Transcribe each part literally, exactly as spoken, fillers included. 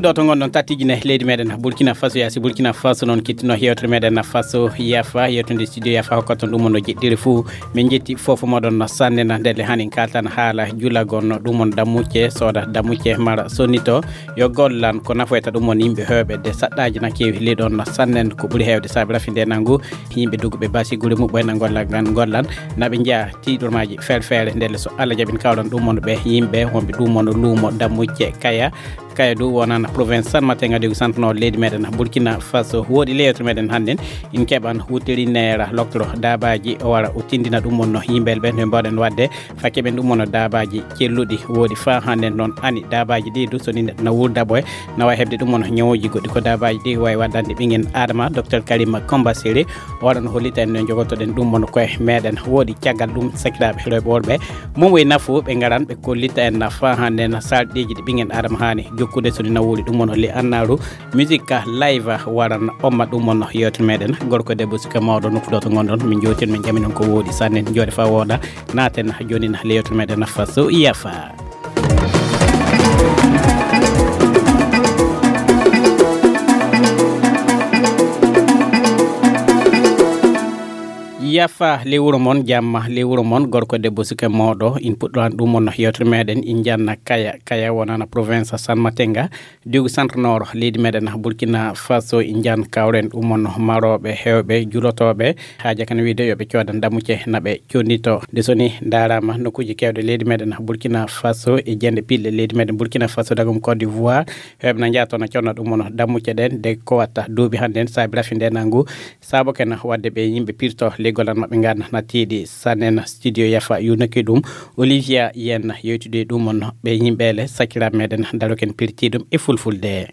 Ɗo to ngonɗon, tatijine leydi meɗen Burkina Faso, yaasi Burkina Faso noon kittino yewtere meɗen Faso Yafa, yewtude studio Yafa hokkata ɗum on no jeɗɗiri fuu. Min jetti fofo moɗon no sanne na ndelle hanin kaltan haala julagon no ɗum on dammucce, sooda dammucce mara sonnito. Yo gollan ko nafoyta ɗum on yimɓe heewɓe de saɗɗaaji na keewi leydi on no sannen ko ɓuri heewde saabi rafinde nangu. Yimɓe duguɓe basi gure muɓɓen na golla gan gollan na ɓe njeya tiiɗormaaji feere feere ndelle so Allah jaɓin kawran ɗum on ɓe yimɓe wonɓe ɗum on luumo dammucce kaya. Kaya du wonana province San Matenga de Santo no leydi meɗen Burkina Faso. Woɗi leyewto meɗen hannden in keɓan wutiri neera loktoro dabaji o wara o tindina ɗum on no yimɓel ɓen ɓe mbaɗen waɗde fakke ɓen ɗum on no dabaji celluɗi. Woɗi fa hannden noon ani dabaji ɗi du so ni neɗɗo na wurda ɓoy na wawi heɓde ɗum on ñawuji goɗɗi ko dabaji ɗi wawi waɗande ɓingen adama. Docteur Karima Komba Siri o waɗan hollita en no jogotoɗen ɗum on koye meɗen. Woɗi caggal ɗum sakiraɓe rewɓe worɓe mum e nafu ɓe ngaran ɓe kollita en na fa hande na sarɗiji ɗi ɓingen adama hani jokkude so ni na wuli ɗum on le annaru musique live waran omma ɗum on yewtere meɗen gorko debbo suka mawɗo nokku ɗo to gonɗon min jowtin min jaminon ko woɗi sanne jooɗe fa woɗa naten joni na le yewtere meɗen Faso Yafa. Yafa le wuro mon jamma le wuro mon gorko debbo suka mawɗo in puɗɗoran ɗum on yewtere meɗen in janna kaya kaya wonana province San Matenga. Digu centre nord leydi meɗen Burkina Faso in jan kawren ɗum on maroɓe hewɓe julotoɓe haaja kan wiide yoɓe coodan dammuce naɓe connito de soni darama nokkuji kewɗe leydi meɗen Burkina Faso e jende pille leydi meɗen Burkina Faso dagum Côte d'Ivoire. Hewɓe na jaa toon conna ɗum on dammuce ɗen de ko watta duuɓi hannden saabi rafi nde nangu. Saabo ken waɗde ɓe yimɓe pirto leggol an maɓɓe ngan na tiiɗi sannen studio Yafa yunaki ɗum. Olivia yen yewtude ɗum on ɓe yimɓe le sakiraɓe meɗen daroken pirti ɗum e fulfulde.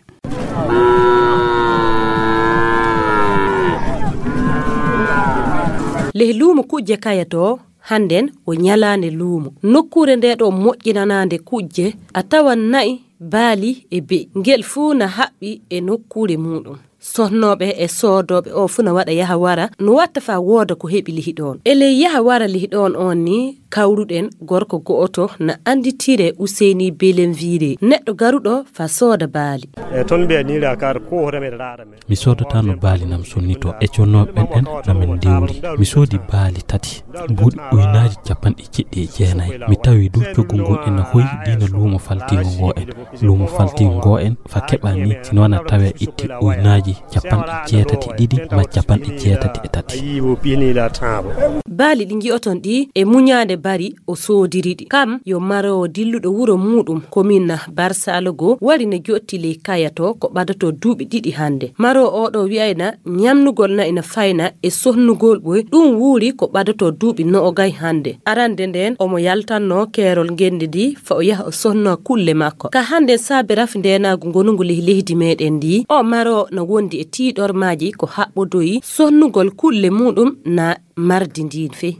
Leh luumo kujje kaya to hannden o ñalaande luumo nokkuure nde ɗo moƴƴinanaande kujje a tawan na'i baali e be'i ngel fuu na haɓɓi e nokkuure muɗum. Sonnooɓe e soodooɓe o fuu na waɗa yaha wara no watta fa wooda ko heɓi lihi ɗoon e ley yaha wara lihi ɗoon on ni kawruɗen gorko go'oto na annditire useyni belenvire neɗɗo garuɗo fa sooda baali. E toon mbiya ni la kar ko hoto meɗen raɗa men. Mi soodata no baali nam sonnito e connooɓe ɓen en na min ndiwri mi soodi baali tati mbuuɗi uynaaji capanɗe jeɗɗi e jeenayi mi tawi dow coggu ngu ena hoyi diina luumo faltiingo ngo en luumo faltiingo ngo en fa keɓa ni sino wona tawe itti uynaaji capanɗe jeetati e ɗiɗi ma capanɗe jeetati e tati. Baali ɗi ngi'oton ɗi e muñaande bari o soodiri ɗi kam yo maroowo dilluɗo wuro muuɗum komin barsalogo wari ne jotti ley kaya to ko ɓadoto duuɓi ɗiɗi hannde maroowo oɗo wi'ayna ñamnugol na ina fayna e sohnugol ɓoy ɗum wuuri ko ɓadoto duuɓi no'ogay hannde arande nden omo yaltanno keerol ngenndi ndi fa o yaha o sohno kulle makko ka hannde saabe rafi ndeenaagu ngonungu ley leydi meɗen ndi o maro no wondi e tiiɗormaaji ko haɓɓodoyi sohnugol kulle muɗum na mardi ndin fey.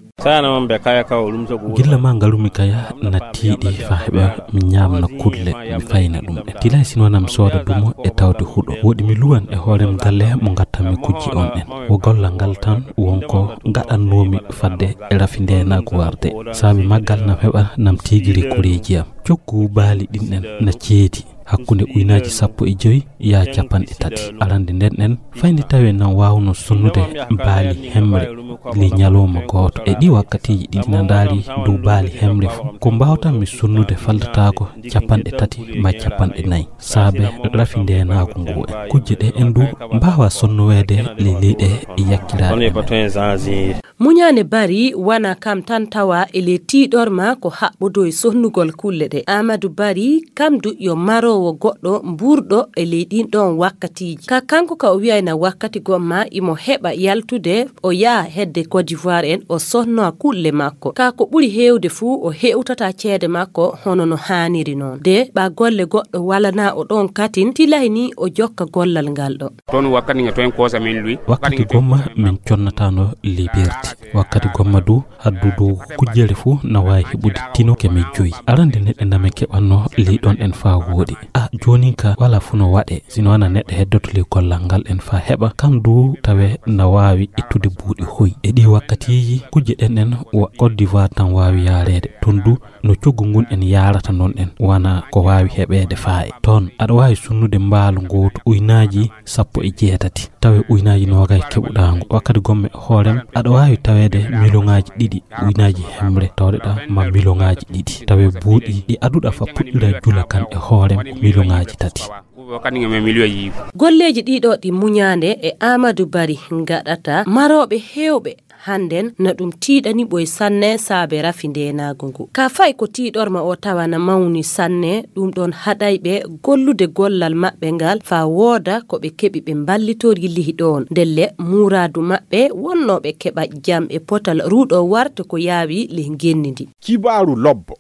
Gilla ma ngarumi kaya na tiiɗi fa heɓa mi ñaamna kulle mi fayna ɗum e tilay sino nam sooda dumo e tawde huɗo woɗi mi luwan e hoorem galle mo ngattanmi kujji on en wo gollal ngal tan wonko gaɗannoomi fadde e rafi ndeenaagu warde saabi maggal nam heɓa nam tiigiri koreeji am coggu baali ɗin en na ceedi hakkunde uynaaji sappo e joyi yaa capanɗe tati arande nden en fayde tawi nan waawno sonnude baali hemre ley ñalawma gooto e ɗi wakkatiiji ɗi na ndaari dow baali hemre fof ko mbaawtanmi sonnude faldataako capanɗe tati ma capanɗe nayi saabe rafi ndeenaagu ngu e kujje ɗe en du mbaawa sonnoweede ley leyɗe yakkiraaɗe. Muñaane bari wana kam tan tawa e le tiiɗor ma ko haɓɓodo e sohnugol kulle ɗe. Amadou Bari kam du yo maroowo goɗɗo mburɗo e ley ɗin ɗon wakkatiiji. Ka kanko ka o wi'ayna wakkati gomma imo heɓa yaltude o yaha hedde Côte d'Ivoire en o sohnoa kulle makko. Ka ko ɓuri heewde fuu o heewtata ceede makko hono no haaniri noon. De ɓa golle goɗɗo walana o ɗon katin tilay ni o jokka gollal ngal ɗo. Toon wakkati nga toon koosa min luy. Wakkati gomma min connataano liberté Wakkati gomma du haddu dow kujjere fuu na waawi heɓude tino keme joyi. Arande neɗɗe name keɓanno ley ɗon en faa wooɗi. A joonin ka wala fuu no waɗe, sino wana neɗɗo heddoto ley gollal ngal en faa heɓa kam du tawe na waawi ittude buuɗi hoy. E ɗi wakkatiiji kujje ɗen en wa Côte d'Ivoire tan waawi yaareede. Ton du no coggu ngun en yaarata non en wana ko waawi heɓeede faaye. Ton aɗa waawi sunnude mbaalu ngootu uynaaji sappo e jeetati tawe uynaaji noogay keɓuɗaa ngu. Wakkati gomme e hoorem aɗa waawi taweede miliyoŋaaji ɗiɗi uynaaji hemre tawreɗa ma miliyoŋaaji ɗiɗi tawe buuɗi ɗi aduɗa fa puɗɗira jula kan e hoorem miliyoŋaaji tati. Golleeji ɗiɗo ɗi muñaande e Amadou Bari ngaɗata marooɓe heewɓe hannden na ɗum tiiɗani ɓoy sanne saabe rafi ndeenaagu ngu. Ka fay ko tiiɗorma o tawa na mawni sanne, ɗum ɗon haɗay ɓe gollude gollal maɓɓe ngal faa wooda ko ɓe keɓi ɓe mballitori lihi ɗoon. Ndelle muuraadu maɓɓe wonnoo ɓe keɓa jam e potal ruuɗo warta ko yaawi lih ngenndi ndi. Kibaaru lobbo.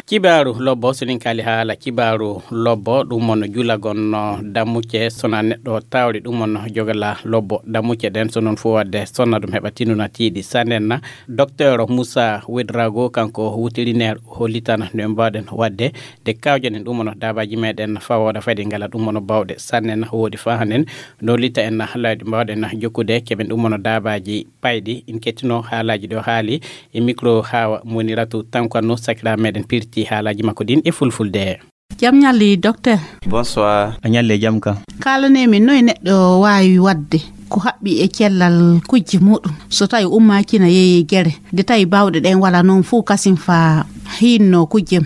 Kibaaru lobbo, so nin kaali haala kibaaru lobbo, ɗum on julagon no dammucce, sona neɗɗo tawri ɗum on jogala lobbo dammucce ɗen, so non fof wadde sonna ɗum heɓa tinuna tiiɗi sannen na. Docteur Moussa Ouedraogo, kanko wutirineer, hollitana no en mbawɗen wadde de kawjanen ɗum on dabaji meɗen fawoda fadi ngala ɗum on bawɗe sannen. Woodi fa hannen no lita en lawɗi mbawɗen jokkude keɓen ɗum on dabaji payɗi. In kettino haalaji ɗo haali e micro hawa moniratu tankwanno sakira meɗen pirti haalaji makko ɗin e fulfulde. Jam ñalli docteur. Bonsoir. A ñalle jam ka. Kaalane min noy neɗɗo waawi wadde ko haɓɓi e cellal kujje muɗum so tawi ummaaki na yeeyi gere de tawi bawɗe ɗen wala noon fuu kasin fa hinno kujjem.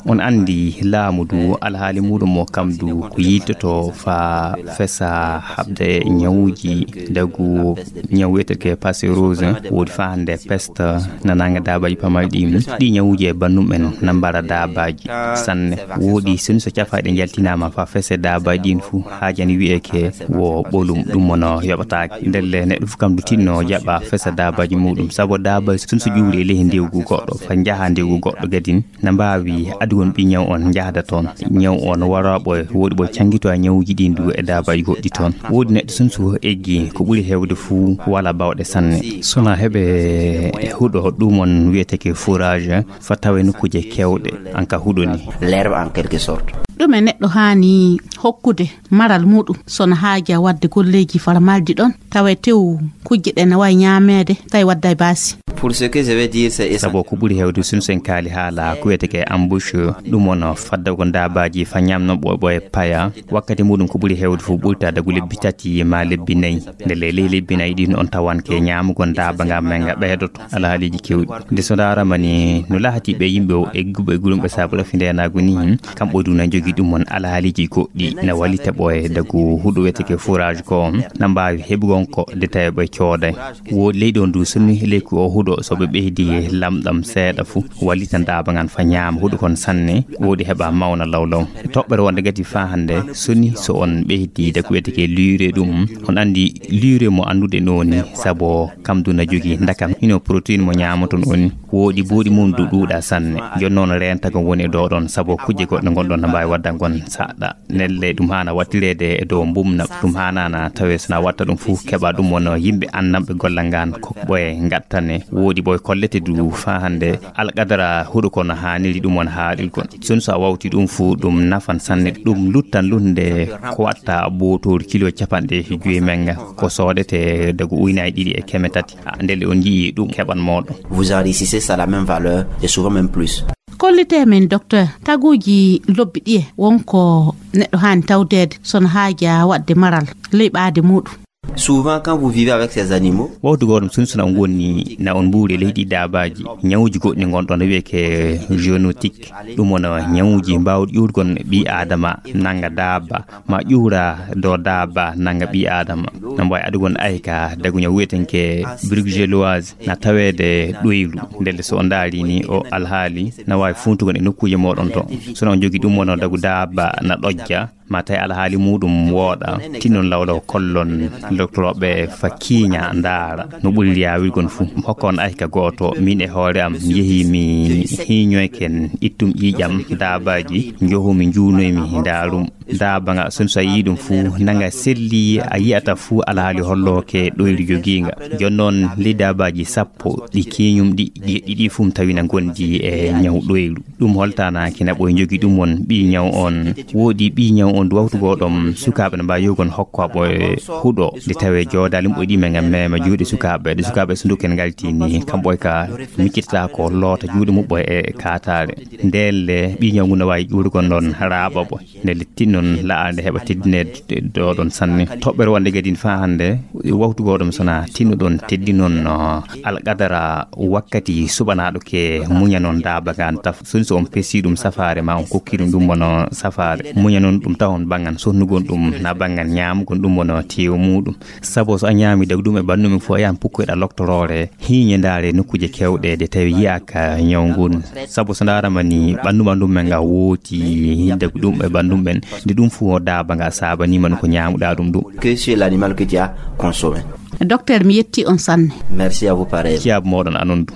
On anndi laamu du alhaali muɗum o kam du ko yiltoto fa fesa haɓde ñawuji dagu ñaw wiyeteke passerose woodi fa hannde peste nananga dabaji pamaji ɗi ɗi ñawuji e bannum en na mbara dabaji sanne. Woodi soni so cafaɗe jaltinama fa fese dabaji ɗin fuu haajani wiyeke wo ɓolum ɗum mono yoɓataake ndelle neɗɗo fuu kam du tinno jaɓa fesa dabaji muɗum sabu dabaji soni so ƴuuri e ley ndewgu goɗɗo fa njaha ndewgu goɗɗo gadin na mbaawi adugol ɓiññaw on njahda toon. Ñaw on wara ɓoye woɗi ɓoye canngito a ñawuji ɗin du e daabaaji goɗɗi toon. Woodi neɗɗo sun so eggi ko ɓuri heewde fuu wala bawɗe sanne. Sona heɓe huɗo ɗum on wiyeteke fourage fa tawe nokkuuje keewɗe an ka huɗo ni. L'herbe en quelque sorte. Ɗume neɗɗo haani hokkude maral muɗum sona haaja wadde golleeji fala maldi ɗon tawe tew kujje ɗe na wawi ñaameede tawi wadday baasi. Pour ce que je vais dire c'est sabo ko ɓuri heewde sun sen kaali haala ko wiyeteke embouche ɗum on fadda ko ndaabaji fa ñamno ɓoɓo e paya wakkati muɗum ko ɓuri heewde fof ɓurta dagu lebbi tati ma lebbi nayi. Nde ley ley lebbi nayi ɗin on tawanke ñaamugol ndaaba nga men nga ɓeydoto alhaaliji kewɗi. Nde so ndaarama ni no lahati ɓe yimɓe o egguɓe e gulumɓe saabu rafi ndenagu ni kamɓe du na jogi ɗum on alhaaliji goɗɗi na wallita ɓo e dagu huɗo wiyeteke fourage ko na mbaawi heɓugol ko de tawi ɓe cooday. Woodi leyɗon du sonni leyku o huɗo so ɓe ɓeydi lamɗam seeɗa fu wallita ndaaba ngan fa ñaama huɗo kon sanne woodi heɓa mawna lawlaw. Toɓɓere wonde gati fa hannde soni so on ɓeydi dagu wiyeteke lure ɗum on anndi lure mo anndude noni sabo kam du na jogi ndakam hino protéine mo ñaamoton on woodi buuɗi mum du ɗuuɗa sanne. Jon noon rentagol woni e dow ɗon sabo kujje goɗɗe gonɗon na mbaawi wadda ngon saɗɗa. Nelle ɗum haana wattireede e dow mbumna ɗum haanaana tawe sona watta ɗum fof keɓa ɗum won yimɓe annamɓe gollal ngan ko ɓoye ngattane woodi ɓoye kollete du fa hannde alqadara huɗo kono haaniri ɗum won haaɗirgol. Sun so a wawti ɗum fof ɗum nafan sanne ɗum luttan lunde ko watta bootoori kilo capanɗe joyi menga ko soodete dagu uynaji ɗiɗi e keme tati. Ndelle on njii ɗum keɓan mooɗon. Vous enrichissez ça la même valeur et souvent même plus. Kollite men docteur taguji lobbi ɗiye wonko neɗɗo haani tawdeede sona haaja waɗde maral ley ɓaade muɗum. Souvent quand vous vivez avec ces animaux. Wawtu goɗum sun sona on gonni na on mbuuri leydi dabaji ñawuji goɗɗi gonɗon wiyeke zoonotique ɗum wona ñawuji mbawɗi ƴuurgon ɓi adama nanga daba ma ƴuura do daba nanga ɓi adama. Na mbawi adugon ayka dagu ñaw wiyetenke bruxelloise na taweede ɗoylu. Ndelle so o ndaari ni o alhaali na waawi funtugol e nokkuuje moɗon to. Sono on jogi ɗum wono dagu daaba na ɗojja Ma tawi alhaali muɗum wooɗa, tinnon lawlaw kollon doktorooɓe fa kiiña ndaara no ɓuri yaawirgon fuu. Hokkon ayka gooto, min e hoore am yehi mi hiiñoyken, ittum ƴiiƴam daabaaji, njohu mi njuunoy mi ndaarum. Daaba nga sun so a yii ɗum fuu nanga selli a yi'ata fuu alhaali hollooke ɗoyru jogiinga. Jon noon ley daabaaji sappo ɗi kiiñum ɗi, ɗi ɗiɗi fuu mi tawina ngondi e ñaw ɗoyru. Ɗum holtaanaaki na ɓoy njogi ɗum on ɓii ñaw on. Woodi ɓii ñaw on du wawtugoo ɗom sukaaɓe no mbaawi yogon hokko ɓoy huɗo. Nde tawee joodaali muɓɓoy ɗi men ngam meema juuɗe sukaaɓe. Ɗe sukaaɓe so nduken ngalti ni kam ɓoy ka miccitata ko loota juuɗe muɓɓoy e kaataare. Ndeen le ɓii ñaw ngun no waawi ƴuurugol ɗon raaɓa ɓoy. Nde lettin noon la'aa nde heɓa teddineede ɗo ɗon sanne. Toɓɓere wonde gadin faa hannde, wawtugoo ɗum so na tinno ɗon teddi noon, no alqadara wakkati suɓanaaɗo ke muña noon daaba ngaan taf. Sun so on pesi ɗum safaare ma on kokki ɗum ɗum wano safaare. Muña noon ɗum tawon banngan sonnugol ɗum na banngan ñaamugol ɗum wano teewu muɗum. Sabu so a ñaami dagu ɗum e ɓanndu mum fof a yahan pukkoyɗa loktoroore. Hiiñe ndaare nokkuuje keewɗe de tawi yiyaaka ñaw ngun. Sabu so ndaarama ni ɓanndu ɓanndu men nga wooti dagu ɗum e ɓanndu men. Nde ɗum fof daaba nga saabaniima ɗum ko ñaamuɗa ɗum ɗum. Que sur l'animal que tu as consommé. Docteur, mi yetti on sanne. Merci à vous pareil. Ciyaabu mooɗon anon ɗum.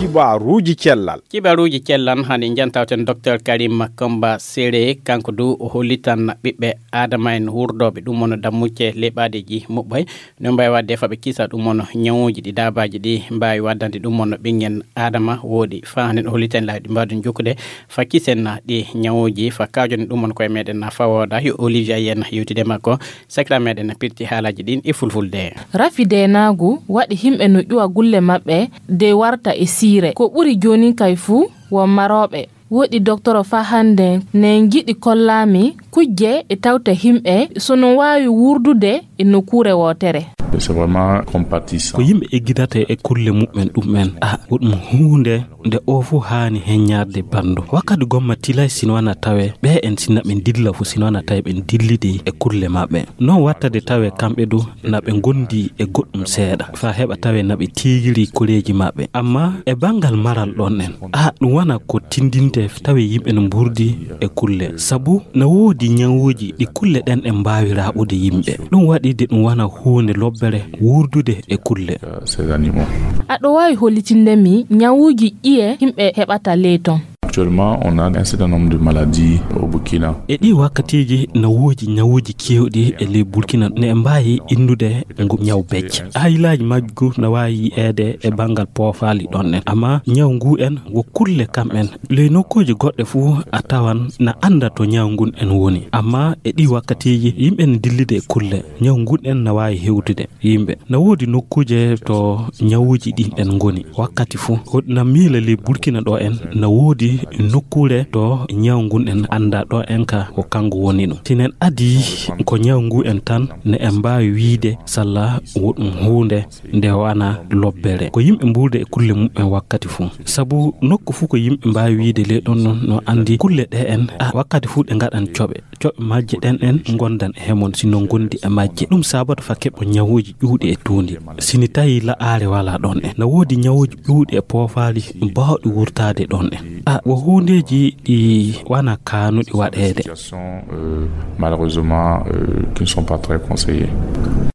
Kibaruuji cellal. Kibaruuji cellal hani jantawten docteur Karim Makomba Sere, kanko du o hollitan ɓiɓɓe Adama en wurdooɓe ɗum wano dammucce leɓaadeji muɓɓay. No mbawi wadde faɓe kisa ɗum wano ñawuji ɗi daabaaji ɗi mbawi waddande ɗum wano ɓinngel Adama woodi fa hannde o holliten laawi ɗi mbaɗen jokkude fa kisen na ɗi ñawuji fa kaajoɗen ɗum wano koye meɗen na fa wooda yo Olivier Ayen yewtide makko. Sakira meɗen na pirti haalaji ɗin e fulfulde. Rafi deenaagu waɗi himɓe no ƴuwa gulle maɓɓe de warta e siire. Ko ɓuri jooni kay fuu won marooɓe. Woɗi doktoro fa hannde ne ngiɗi kollaami kujje e tawta himɓe so no waawi wurdude e nokkuure wootere. C'est vraiment compatissant. Ko yimɓe eggidata e kulle muɓɓen ɗum'en. A, ko ɗum huunde nde o fof haani heññaade banndo. Wakkati gomma tilay sino wana tawe, ɓe en sinna ɓe dilla fof sino wana tawe ɓe dillidi e kulle maɓɓe. Non wattade tawe kamɓe du na ɓe ngondi e goɗɗum seeɗa. Fa heɓa tawe na ɓe tiigiri koreeji maɓɓe. Amma e banngal maral ɗon en, a, ɗum wana ko tindinte tawe yimɓe no mburdi e kulle. Sabu na woodi ñawuuji ɗi kulle ɗen ɗen mbaawi raaɓude yimɓe. Ɗum waɗi de ɗum wana huunde lobbere wurdude e kulle. Ces animaux. Aɗo waawi hollitinde mi ñawuuji ɗiye yimɓe heɓata ley ton? Actuellement, on a un certain nombre de maladies au Burkina. E ɗi wakkatiiji na woodi ñawuuji keewɗi e ley Burkina ne mbaawi innude ngu ñaw becce. Haylaaji majgu na waawi yi'eede e banngal poofaali ɗon en. Amma ñaw ngu en wo kulle kam en. Ley nokkuuji goɗɗe fuu a tawan na annda to ñaw ngun en woni. Amma e ɗi wakkatiiji yimɓe ne dillide e kulle. Ñaw ngun en na waawi hewtude yimɓe. Na woodi nokkuuje to ñawuuji ɗin ɗen ngoni wakkati fuu. Ko na miila ley Burkina ɗo en na woodi nokkuure to ñaw ngun en annda ɗo en ka ko kangu woni ɗum. Si nen adii ko ñaw ngu en tan ne en mbaawi wiide salla wo ɗum huunde nde wana lobbere. Ko yimɓe mbuurde e kulle muɓɓen wakkati fuu. Sabu nokku fuu ko yimɓe mbaawi wiide ley ɗon non no anndi kulle ɗe en, a, wakkati fuu ɗe ngaɗan coɓe. Coɓe majje ɗen en ngondan e hemon sino ngondi e majje. Ɗum sabatu fa keɓo ñawuuji ƴuuɗi e tuundi. Sini tawi la'aare wala ɗon en. Na woodi ñawuuji ƴuuɗi e poofaali baawɗi wurtaade ɗon en. A, wo huundeeji ɗi wana kaanuɗi waɗeede. Situation, euh, malheureusement, euh, qui ne sont pas très conseillées.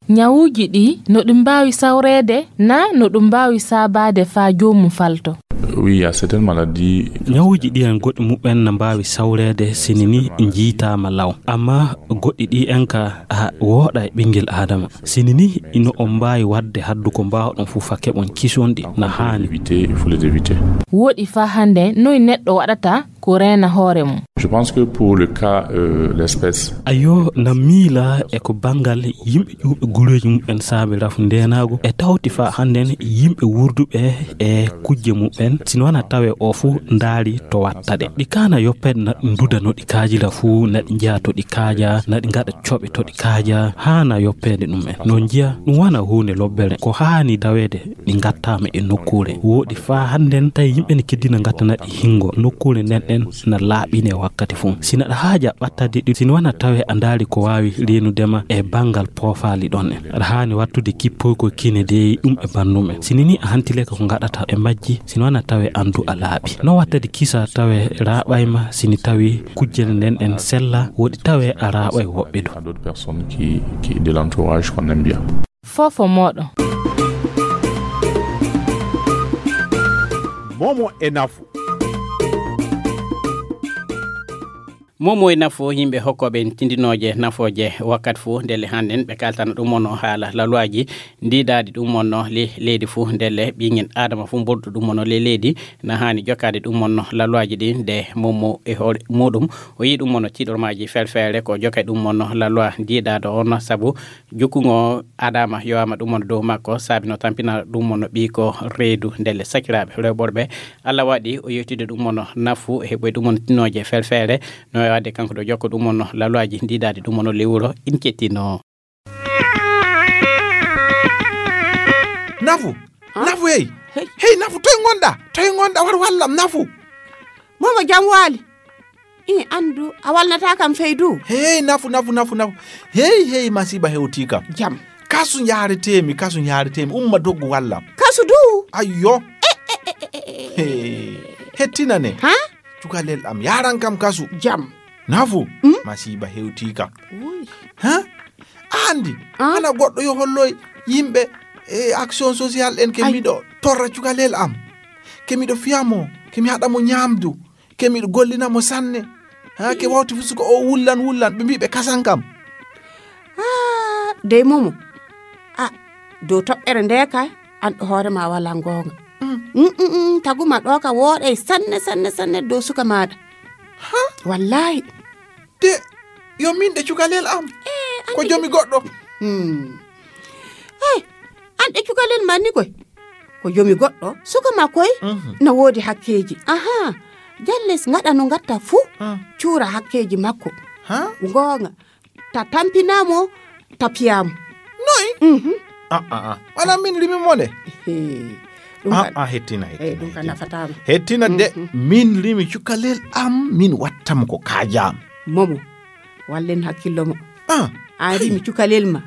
Ñawuuji ɗi no ɗum mbaawi sawreede na no ɗum mbaawi saabaade faa joomum falto? Oui, il y a certaines maladies. Ñawuuji ɗi en goɗɗi muɓɓen na mbaawi sawreede sini ni njiitaama law. Amma goɗɗi ɗi en ka a wooɗa e ɓinngel Aadama. Sini ni ino on mbaawi waɗde haddu ko mbaawɗon fof fa keɓon kisonɗi na haani. Éviter, il faut les éviter. Woɗi faa hannde noy neɗɗo waɗata ko reena hoore mum. Je pense que pour le cas, euh, l'espèce. Ayo, na miila e ko banngal yimɓe ƴuuɓe gureeji muɓɓen saabe rafu ndeenaagu e tawti faa hannden yimɓe wurduɓe e kujje muɓɓen. Sino wana tawe o fof ndaari to watta ɗe. Ɗi kaana yoppeede na ɗi nduda no ɗi kaajira fuu, na ɗi njiya to ɗi kaaja, na ɗi ngaɗa coɓe to ɗi kaaja, haana yoppeede ɗum en. No njiya ɗum wana huunde lobbere. Ko haani daweede ɗi ngattaama e nokkuure. Wooɗi faa hannden tawi yimɓe ne keddina ngattana ɗi hingo. Nokkuure nden ɗen na laaɓine wakka. Kadi fuu, sina aɗa haaja ɓattade ɗi, sina wana tawe a ndaari ko waawi reenude ma e banngal poofaali ɗon en. Aɗa haani wattude kippoygol kine dey ɗum e banndum en. Sini ni a hantileke ko ngaɗata e majji, sina wana tawe anndu a laaɓi. No wattade kisa tawe raaɓay ma, sini tawi kujjel nden ɗen sella, woɗi tawe a raaɓay woɓɓe du. À d'autres personnes qui, qui de l'entourage qu'on aime bien. Fofo moɗo. Momo e nafu. Momo e nafu yimɓe hokkooɓe en tindinooje nafooje wakkat fuu ndelle hannden ɓe kaltana ɗum wonno haala laluwaaji ndiidaadi ɗum wonno le-, leydi fuu ndelle ɓiŋŋen aadama fuu mbolɗo ɗum wonno le leydi na haani jokkaade ɗum wonno laluwaaji ɗi nde momo e hoore muɗum o yii ɗum wonno tiiɗormaaji felfeere ko jokkay ɗum wonno laluwa ndiidaado on sabu jukkungo adama yowama ɗum wonno dow makko sabi no tampina ɗum wonno ɓii ko reedu ndelle sakiraaɓe rewɓorɓe Allah waɗi o yewtide ɗum wonno nafu e heɓoy ɗum wonno tinooje felfeere no waɗde kanko ɗo jokko ɗum wonno laluwaaji ndiidaadi ɗum wonno lewuro in kettino. Nafu. Nafu hey. Hey nafu toy ngonɗa? Toy ngonɗa war wallam nafu. Momo jam waali. I anndu a walnata kam feydu. Hey nafu nafu nafu nafu. Hey hey masiba hewti kam. Jam. Kasu njaaretemi kasu njaaretemi umma doggu wallam. Kasu du. Ayyo. Hey. Hettina ne. Ha? Cukalel am yaran kam kasu. Jam. Nafu. Masiba hewti kam. Ha? Andi. Hana goɗɗo yo holloy yimɓe e action social en ke miɗo torra cukalel am ke miɗo fiyamo ke mi haɗamo ñamdu ke miɗo gollinamo sanne. Ha ke wawti fusuko o wullan wullan ɓe mbiɓe kasan kam. Dey momo a dow toɓɓere nde kay an ɗo hoore ma wala ngonga. Taguma ɗo ka wooɗay sanne sanne sanne dow suka maɗa. Wallahi. De yo min ɗe cukalel am. Ko jomi goɗɗo. Hey an ɗe cukalel ma ni koy ko jomi goɗɗo suka ma koy. Na woodi hakkeeji aha jalles ngaɗa no ngatta fuu. Cuura hakkeeji makko. Ngonga ta tampinamo ta piyamo. Noy? Aa wala min rimi mo nde. Aa hettina hettina hettina de min rimi cukalel am min wattamo ko kajam. Momo wallen hakkillo mo. A rimi cukalel ma.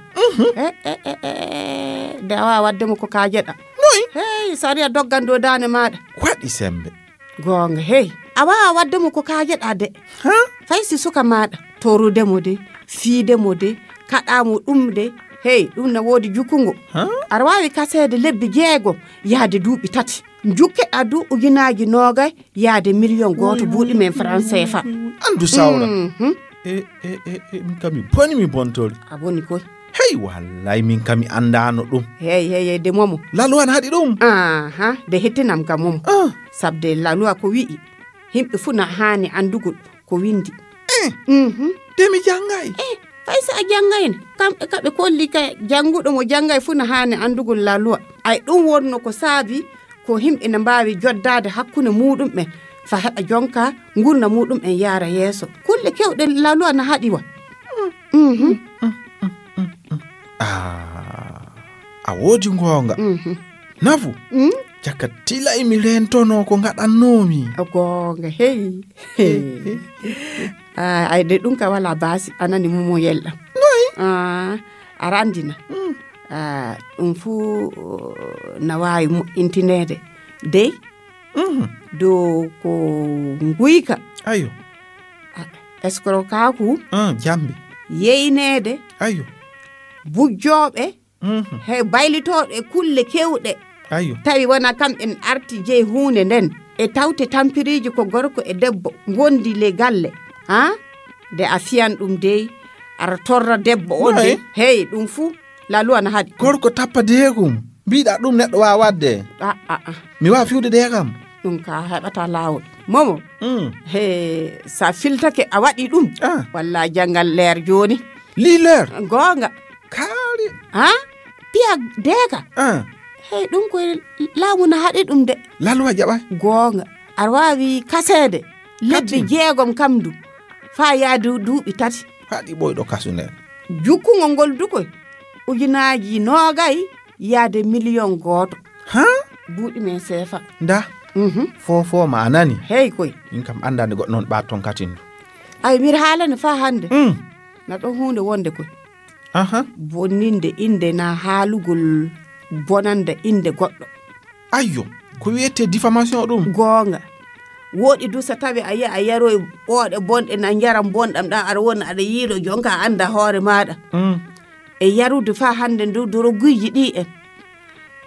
De awa wadde mo ko kajeɗa. Noy? Hey sariya doggan dow dande maɗa. Waɗi sembe. Goonga hey a wawa wadde mo ko kajeɗa de. Fay si suka maɗa torude mo de fiide mo de kaɗa mo ɗum de. Hey ɗum na woodi jukungo. Aɗa wawi kasede lebbi jeego yaade duuɓi tati jukkeɗa du ujunaji noogay yaade million gooto buuɗi men franc cfa. Andu sawra. E e e e min kam mi boni mi bontori. A boni koy. Hey wallay min kam mi andano ɗum. Hey hey hey de momo. Lalu an haɗi ɗum. Aha de hettinam kam momo. Sabde laluwa ko wi'i himɓe fuu na haani anndugol ko winndi. Eh, mhm. De mi janngay. Eh, fay so a janngayno kamɓe ka ɓe kolli ka jannguɗo mo janngay fuu na haani anndugol laluwa. Ay ɗum wonno ko saabi ko himɓe na mbaawi joddaade hakkunde muuɗum'en fa heɓa jonka ngurnda muuɗum'en yaara yeeso. Kulle kewɗe laluwa na haɗi wa. Mhm. Ah, a woodi ngoonga. Mhm. Nafu, jaka tilay mi rentono ko ngaɗannoomi. Goonga, hey. Ay, de ɗum ka wala baasi, a nani mumo yelɗa. Noy? Ah, a randina. Ah, ɗum fuu na waawi moƴƴintineede. Dey, dow ko nguyka. Ayo. Escrocaku. Ah, jambe. Yeyneede. Ayo. Bujjooɓe. Mhm. He baylitooɓe e kulle kewɗe. Ayo. Tawi wona kamɓen arti jeyi huunde nden. E tawte tampiriiji ko gorko e debbo ngondi le galle. Ha? De a fiyan ɗum dey. Ara torra debbo on dey. Hey, ɗum fuu. Lalu ana haɗi. Gorko tappa deegum. Mbiɗa ɗum neɗɗo waawa waɗde. Ah, ah, ah. Mi waawa fiwde deegam. Ɗum ka heɓata laawol. Momo. Mm. He, sa filtake a waɗi ɗum. Ah. Walla janngal leer jooni. Lii leer? Goonga. Kaari. Ha? Piya deega? Ah. Hey, ɗum koye laamu na haɗi ɗum de. Laluwa jaɓa. Goonga. Aɗa waawi kaseede. Lebbi jeegom kam du. Faa yaadu duuɓi tati. Haɗi ɓoyɗo kasu nden. Jukkungol ngol du koy. Ujunaaji noogay yaade miliyon gooto. Ha? Buuɗi men seefa. Nda. Mhm. Fofo ma a nani. Hey koy. Min kam annda nde goɗɗo noon ɓaat toon katin du. Ay, mbiɗa haalani faa hannde. Mm. Na ɗon huunde wonde koy. Aha. Bonninde innde na haalugol bonande innde goɗɗo. Ayyo, ko wiyetee diffamation ɗum? Goonga. Wooɗi du so tawi a yiya a yaroy ɓooɗe bonɗe na njaram bonɗam ɗam aɗa wona aɗa yiilo jonka a annda hoore maaɗa. Mm. E yarude faa hannde ndu doroguyji ɗi en.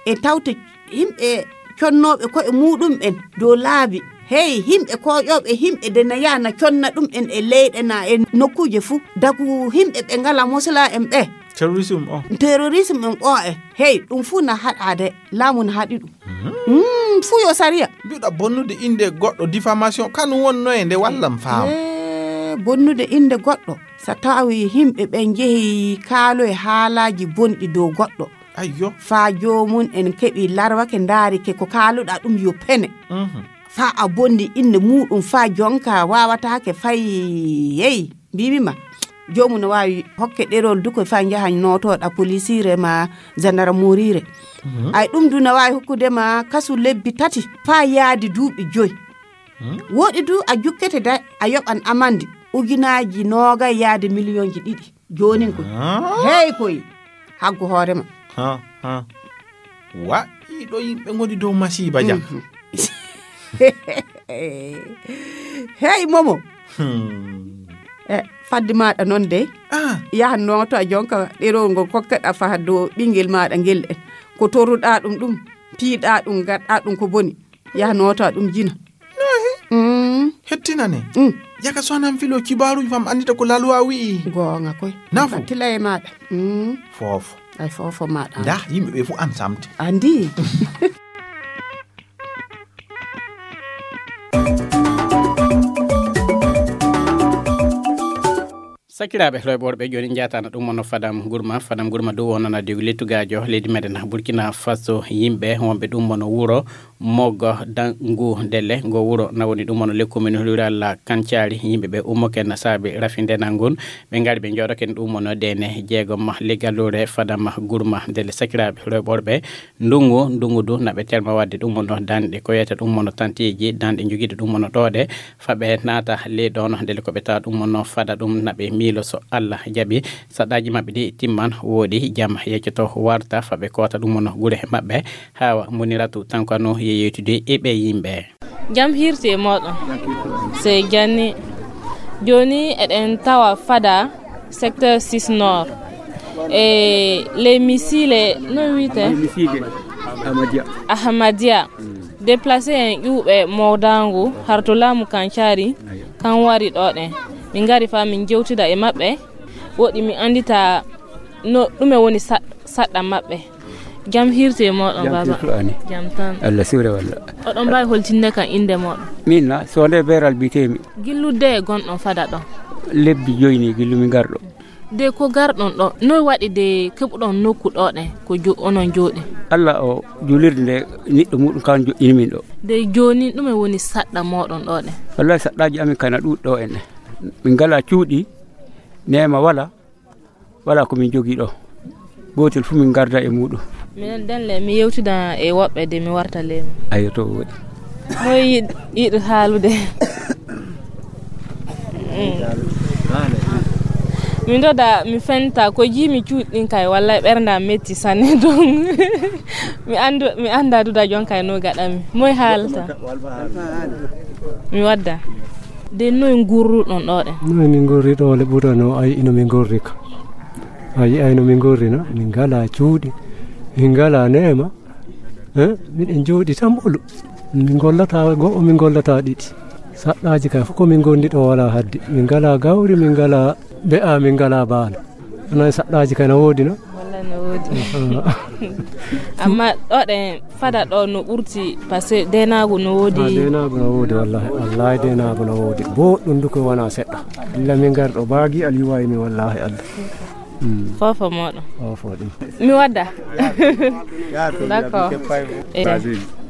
E tawte yimɓe connooɓe koye muɗum en dow laabi. Hey, yimɓe koƴooɓe yimɓe de na yaha na conna ɗum en e leyɗe na e nokkuuje fuu. Dagu yimɓe ɓe ngala mosla en ɓe. Terrorisme o. Terrorisme en o e. Hey, ɗum fuu na haɗaade, laamu na haɗi ɗum. Mhm. Mm, fuu yo sariya. Mbiɗa bonnude innde goɗɗo, diffamation, kanum wonno e nde wallam faam. Eh, bonnude innde goɗɗo. So tawi yimɓe ɓe njehi kaaloy haalaaji bonɗi dow goɗɗo. Ayyo. Faa joomum en keɓi larwake ndaarike ko kaaluɗaa ɗum yo pene. Mhm. Faa a bonni innde muɗum faa jonka waawataake fay yeey. Mbiimi ma, joomum no waawi hokke ɗerol du ko faa njaha nootooɗa polisiire ma jandarmoriire. Mhm. Ay ɗum du no waawi hokkude ma kasu lebbi tati faa yaadi duuɓi joy. Mhm. Wooɗi du a jukkete da a yoɓan amande ujunaaji noogay yaade miliyonji ɗiɗi. Joonin koy. Ah. Hey koy. Haggu hoore ma. Ha, ha. Wa, ɗiɗo yimɓe ngoni dow masiiba ja. Mhm. Hey, Momo. Hmm. E, fadde maaɗa noon dey. Ah. Yahan nooto a jonka ɗerowol ngol kokkeɗa faha dow ɓinngel maaɗa ngel en. Ko toruɗaa ɗum ɗum, piiɗaa ɗum, ngaɗɗaa ɗum ko boni. Yaha nooto a ɗum jina. Nahi. Mm. Hettinane. Mm. Yaka sonan filo kibaaruji fam anndita ko lalwa wi'i. Goonga koy. Nafu. Tila e maaɗa. Mm. Foofo. Ay foofo maaɗa. Nda yimɓe ɓe fof an samti. Andi. Sakiraaɓe rewɓe worɓe, jooni njaatana ɗum mono Fadam Gurma. Fadam Gurma dow wonana diw lettugaajo leydi meɗen Burkina Faso. Yimɓe wonɓe ɗum mono wuro Moggo Dangu Delle, ngo wuro na woni ɗum mono le commune rural Kancari. Yimɓe ɓe ummoken na saabi rafi ndenal ngun. Ɓe ngari ɓe jooɗoken ɗum mono dene jeegom le gallure Fadam Gurma Delle. Sakiraaɓe rewɓe worɓe, ndungu, ndungu du na ɓe terma wadde ɗum mono danɗe ko wiyata ɗum mono tanteeji, danɗe jogiiɗe ɗum mono ɗooɗe. Fa ɓe naata ley ɗoon, ndelle ko ɓe tawa ɗum mono fada ɗum na ɓe miilo so Allah jaɓi. Saɗɗaaji maɓɓe ɗi timman, wooɗi jam yeccoto warta, fa ɓe koota ɗum mono gure maɓɓe. Hawa Muniratu Tankano ye yewtude e ɓe yimɓe. Jam hirti e mooɗon. Sey janni. Jooni eɗen tawa fada secteur six nord. E ley misile, no wiyte? Misile Ahmadiyya. Ahmadiyya. Déplacé en ƴuuɓe mowdaangu har to laamu Kancari, kan wari ɗo ɗen. Min ngari fa min jewtida e maɓɓe. Woɗi mi anndita no ɗume woni sa-, saɗɗa maɓɓe. Jam hirti e mooɗon, jam baba. Hirtu ani. Jam tan. Allah suure walla. Oɗon mbaawi holtinde kan innde mooɗon? Min na, so nde Beeral mbiyetee-mi. Gillude e gonɗon fada ɗon? Lebbi joyi ni gillu mi ngarɗo. De ko garɗon ɗo, noy waɗi de keɓuɗon nokku ɗo ɗen ko jo-, onon jooɗi? Allah o juulirde nde niɗɗo muɗum kan joƴƴini min ɗo. De jooni ɗume woni saɗɗa mooɗon ɗo ɗen? Wallahi saɗɗaaji amin kana ɗuuɗi ɗo en ɗen. Min ngala cuuɗi, neema wala, wala ko min jogii ɗo. Gootel fu min ngarda e muɗum. Minen den le, mi yewtida e woɓɓe de mi warta leyma. Ayo, to woɗi. Moy yiɗ-, yiɗi haalude? Mm. Mi ndoda, mi fenta, ko jii mi cuuɗi ɗin kay, wallay ɓernda metti sanne, donc mi anndu, mi annda duda jon kay no gaɗami. Moy haalta? Mi wadda. De noy ngurruɗon ɗo ɗen? Noy min ngurri ɗo le ɓurano, ay ino min ngurri ka. Ay, ay no min ngurri na, min ngala cuuɗi, min ngala neema. Eh, miɗen jooɗi tan ɓolo. Min ngollata go'o, min ngollata ɗiɗi. Saɗɗaaji kay fof ko min ngondi ɗo wala hadde. Min ngala gawri, min ngala be'a, min ngala baana. Onon saɗɗaaji kay na woodi no? Wallay no woodi. Ah. Amma ɗo ɗen fada ɗo no ɓurti, parce que denaagu no woodi. Ah, denaagu no woodi, wallahi. Wallahi denaagu no woodi. Boɗɗum du ko wona seɗɗa. Illa min ngar ɗo baagi aliwayi mi wallahi Allah. Mm. Fofo moɗon. Fofo ɗum. Mi wadda. D'accord. Eh,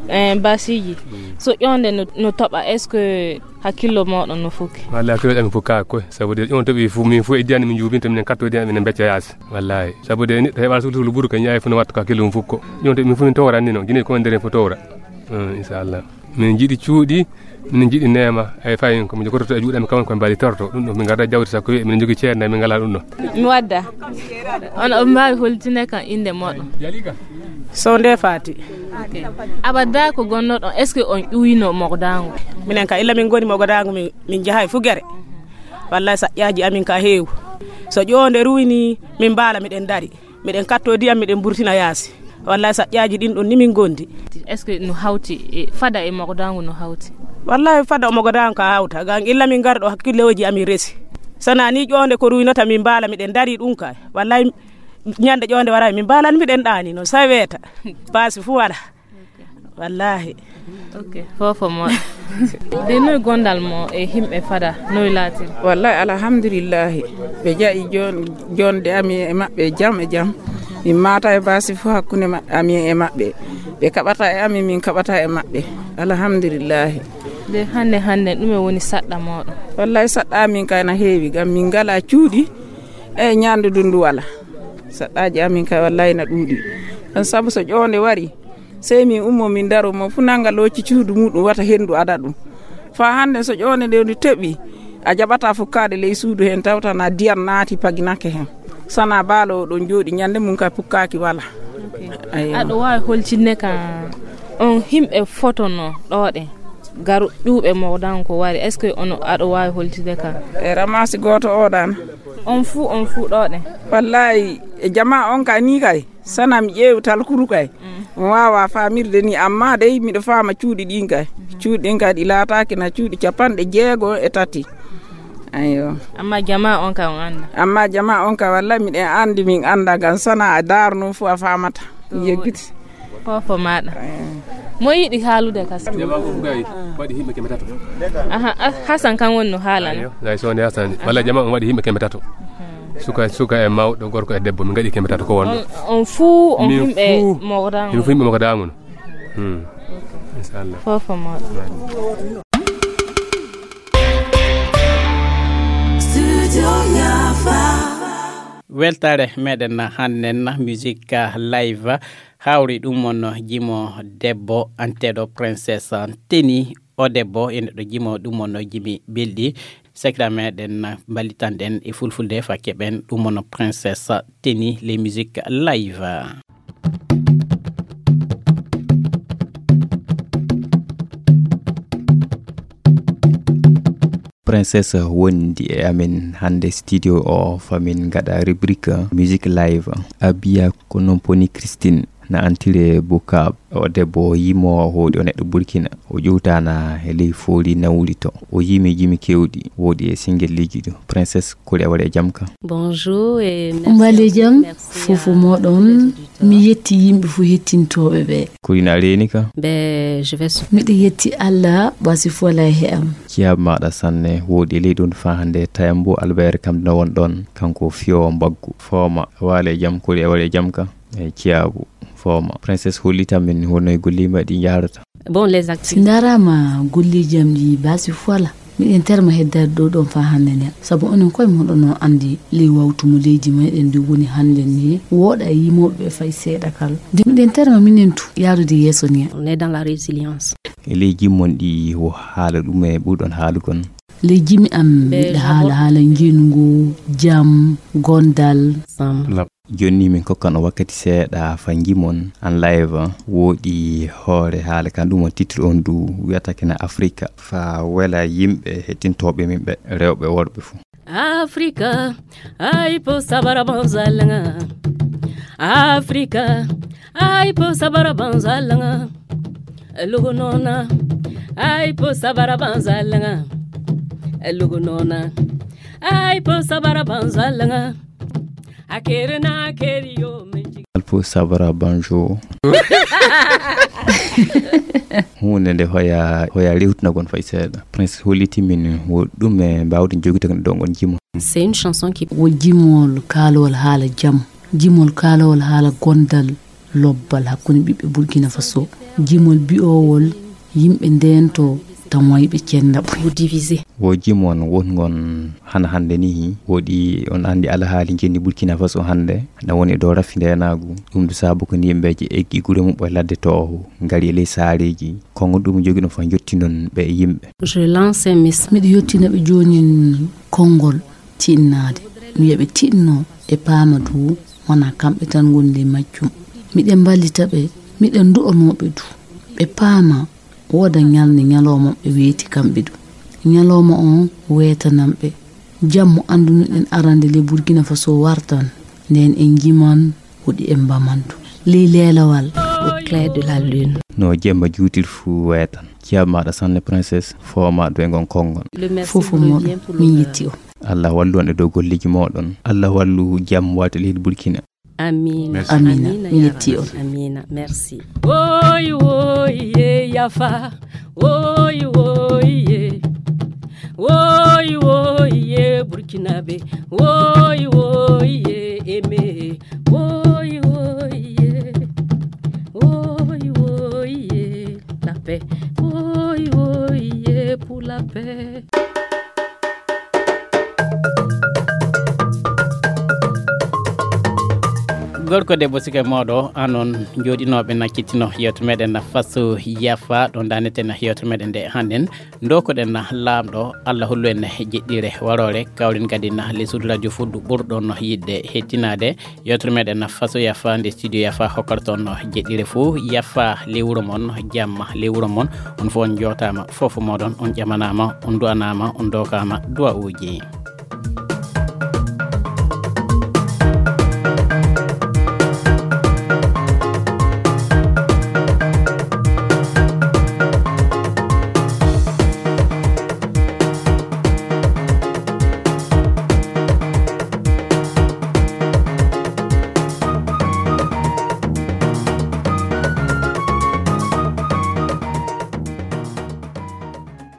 eh, basiji. So ƴonde no, no toɓa, est-ce que hakkillo moɗon no fukki? Wallahi, hakkillo ɗam fukka ko, sabu de ƴon toɓi fu, min fu e diyani min jubinta, min katto diyani min becca yaasi. Wallahi. Sabu de neɗɗo heɓa sulu sulu buru kan yaay fu no watta ka hakkillo mum fukko. Ƴon toɓi min fu min towra ni non, gine ko ndere fu towra. Mm, inchallah. Min jiɗi cuuɗi, Min njiɗi neema, ay fayin ko min jogototo e juuɗe amin kam ko mbaali torto. Ɗum ɗo min ngarda jawdi sakko wi'e min njogii ceede, min ngalaa ɗum ɗo. Mi wadda. On, on mbaawi holtinde kam innde mooɗon? Sow nde Faati. Ok. Abada ko gonnoɗon, est-ce que on ƴuwino Mogodangu? Minen ka illa min ngoni Mogodangu, min, min njahay fu gere. Wallahi saƴƴaaji amin ka heewu. So ƴoonde ruwini, min mbaala miɗen dari. Miɗen katto ndiyam, miɗen burtina yaasi. Wallahi saƴƴaaji ɗin ɗon ni min gondi. Est-ce que no hawti e fada e Mogodangu no hawti? Wallahi fada o Mogodangu ka hawta. Gan illa min ngarɗo hakkillooji amin resi. Sana ni ƴoonde ko ruwinota min mbaala miɗen dari ɗum kay. Wallahi ñande ƴoonde waray min mbaalan miɗen ɗaani no saweta. Paasi fu wala. Wallahi. Ok, fofo mo. De noy gondal mo e himɓe fada, noy laati? Wallahi alhamdulillahi. Ɓe jaɓi jon-, jonde amin e maɓɓe jam e jam. Min maata e baasi fu hakkunde ma-, amin e maɓɓe. Ɓe kaɓata e amin, min kaɓata e maɓɓe. Alhamdulillahi. De hande, hande, ɗume woni saɗɗa moɗon? Wallahi saɗɗa amin kay na heewi, gam min ngala cuuɗi e ñande dundu wala. Saɗɗaaji amin kay wallahi na ɗuuɗi. Ɗon sabu so ƴoonde wari, sey min ummo min daro, mo fu nanga looci cuudu muɗum wata hendu ada ɗum. Fa hande so ƴoonde nde ndu teɓi, a jaɓata fukkaade ley suudu hen tawta na diyam naati paginake hen. Sana baalo o ɗon jooɗi ñande mum kay pukkaaki wala. Ok. Aywa. Aɗo waawi holtinde ka on himɓe fotono ɗo ɗe? Garu ƴuuɓe Mogodangu ko wari, est-ce que ono aɗo waawi holtinde ka? E ramasi gooto o ɗan. On fuu, on fuu ɗo ɗe? Wallahi, e jama on ka ni kay. Sana mi ƴeewi talkuru kay. Mm. Mi waawa faamirde ni, amma dey miɗo faama cuuɗi ɗin kay. Cuuɗi ɗin kay ɗi laataaki na cuuɗi capanɗe jeego e tati. Aywa. Amma jama on ka on annda? Amma jama on ka wallahi miɗen anndi, min annda ngam sana a daarno fu a faamata. To yeggiti. Fofo maɗa. Eh. Mo yiɗi haalude kas? Jama ko gay, waɗi himɓe keme tato. Aha, a-, Hasan kan woni no haalana. Ayo, gay so woni Hasan. Aha. Walla jama on waɗi himɓe keme tato. Mhm. Suka, suka e mawɗo, gorko e debbo, min gaɗi keme tato ko wonno. On, on fuu, on min himɓe fuu, Mogodangu. Min fuu himɓe Mogodangu no. Hmm. Ok. Inchallah. Fofo maɗa. Studio Yafa. Weltaare meɗen hannden musique live. Hawri ɗum on jimo debbo anteɗo Princess Teni. O debbo ene ɗo jimo ɗum on jimi belɗi. Sekra meɗen mbalitanɗen e fulfulde fa keɓen ɗum on Princess Teni, les musiques live. Princess wondi e amen hannde studio o, famin ngaɗa rubrique musique live. Abiya ko non poni Christine na antire Bukab. O debbo yimo hoɗi o neɗɗo Burkina. O ƴewtana e ley fooli nawri to. O yimi jimi kewɗi, woɗi e singelleeji ɗo. Princess, kuli a waɗi e jam ka? Bonjour et merci. Mbale à vous. Jam, merci fofo à moɗon. Mi yetti yimɓe fu hettintooɓe ɓe. Ko ina reeni ka? Ben, je vais su- Miɗo yetti Allah, basi fola he am. Ciyab maɗa sanne, woɗi e ley ɗon fa hannde Tayambo Albert kam no won ɗon, kanko fiyo mbaggu. Fooma, waale jam, kuli a waɗi e jam ka? E ciyabu, fooma. Princess hollita min hono e golli maɗi yahrata. Bon, les activités. Si ndarama golleeji am ɗi basi fola. Miɗen terma heddade ɗo ɗon fa hannde nden. Sabu onon koye moɗon no anndi ley wawtu mo leydi meɗen ndi woni hannde ni, woɗa e yimooɓe ɓe fay seeɗa kala. Nde miɗen terma minen tu yaarude yeeso ni. On est dans la résilience. E ley jimmon ɗi wo haala ɗum e ɓurɗon haalugon. Ley jimi am, ben, miɗa haala haala ngengu, jam, gondal. Ensemble. Jonni min kokkan o wakkati seeɗa fa jimon an live woɗi hoore haala kan ɗum on titre on du wiyata kena Afrika fa wela yimɓe hettintooɓe min ɓe rewɓe worɓe fu. Africa, ai po sabara banzalanga. Africa, ai po sabara banzalanga. Lugunona, ai po sabara banzalanga. Lugunona, ai po sabara banzalanga. Akere na akere yo menji. Alpo sabara banjo. Hunde nde hoya, hoya rewtinagon fay seeɗa. Prince holliti min wo ɗum e mbawde jogitagol ɗo ngon jimo. C'est une chanson qui wo jimol kaalowol haala jam, jimol kaalowol haala gondal, lobbal hakkunde ɓiɓɓe Burkina Faso, jimol bi'owol yimɓe ndento tan wayi ɓe cennda ɓuri divisé. Wo jimon won ngon hana hannde nii, woɗi on anndi alhaali ngenndi Burkina Faso hannde na woni e dow rafindeenaagu. Ɗum du saabu ko ndi yimɓeeji eggi gure mum e ladde tooho, ngari e ley saareeji. Konngol ɗum jogi ɗum fa jotti noon ɓe e yimɓe. Je lance un message. Miɗo yottina ɓe joonin konngol tiɗnaade. Mi wiya ɓe tiɗno e paama du wona kamɓe tan ngoni ley majjum. Miɗen mballita ɓe, miɗen du'onoo ɓe du. Ɓe paama wooda ñalnde ñalooma ɓe weeti kamɓe du. Ñalooma on weetanan ɓe. Jam mo anndunoɗen arande ley Burkina Faso wartan. Nden en jiman woɗi en mbamandu. Ley leelawal. Au clair de la lune. No jemma juutir fuu weetan. Ciyaaɓe maaɗa sanne princesse, foomaa du e ngon konngol. Fof mooɗon, min yetti on. Allah wallu on e dow golleeji mooɗon. Allah wallu jam waati leydi Burkina. Amiin. Merci. Amiina, amiina, min yetti on. Amiina, merci. Woy woy ye yafa, woy woy ye, woy woy ye Burkinabe, woy woy ye Aimé, woy woy ye, woy woy ye la paix, woy woy ye pour la paix. Gorko debbo, sike mooɗo anon jooɗinooɓe na kittino yewtere meɗen na faso yafa ɗon daneten yewtere meɗen nde hannden. Ndokoɗen na laamɗo Allah hollu en jeɗɗire waroore, kawren kadi na les suudu radio fuddu ɓurɗon yiɗde hettinaade. Yewtere meɗen na faso yafa nde studio yafa hokkarton jeɗɗire fuu. Yafa ley wuro mon, jamma ley wuro mon. On fof on jootaama, fof mooɗon on ƴamanaama, on du'anaama, on dookaama du'a'uuji.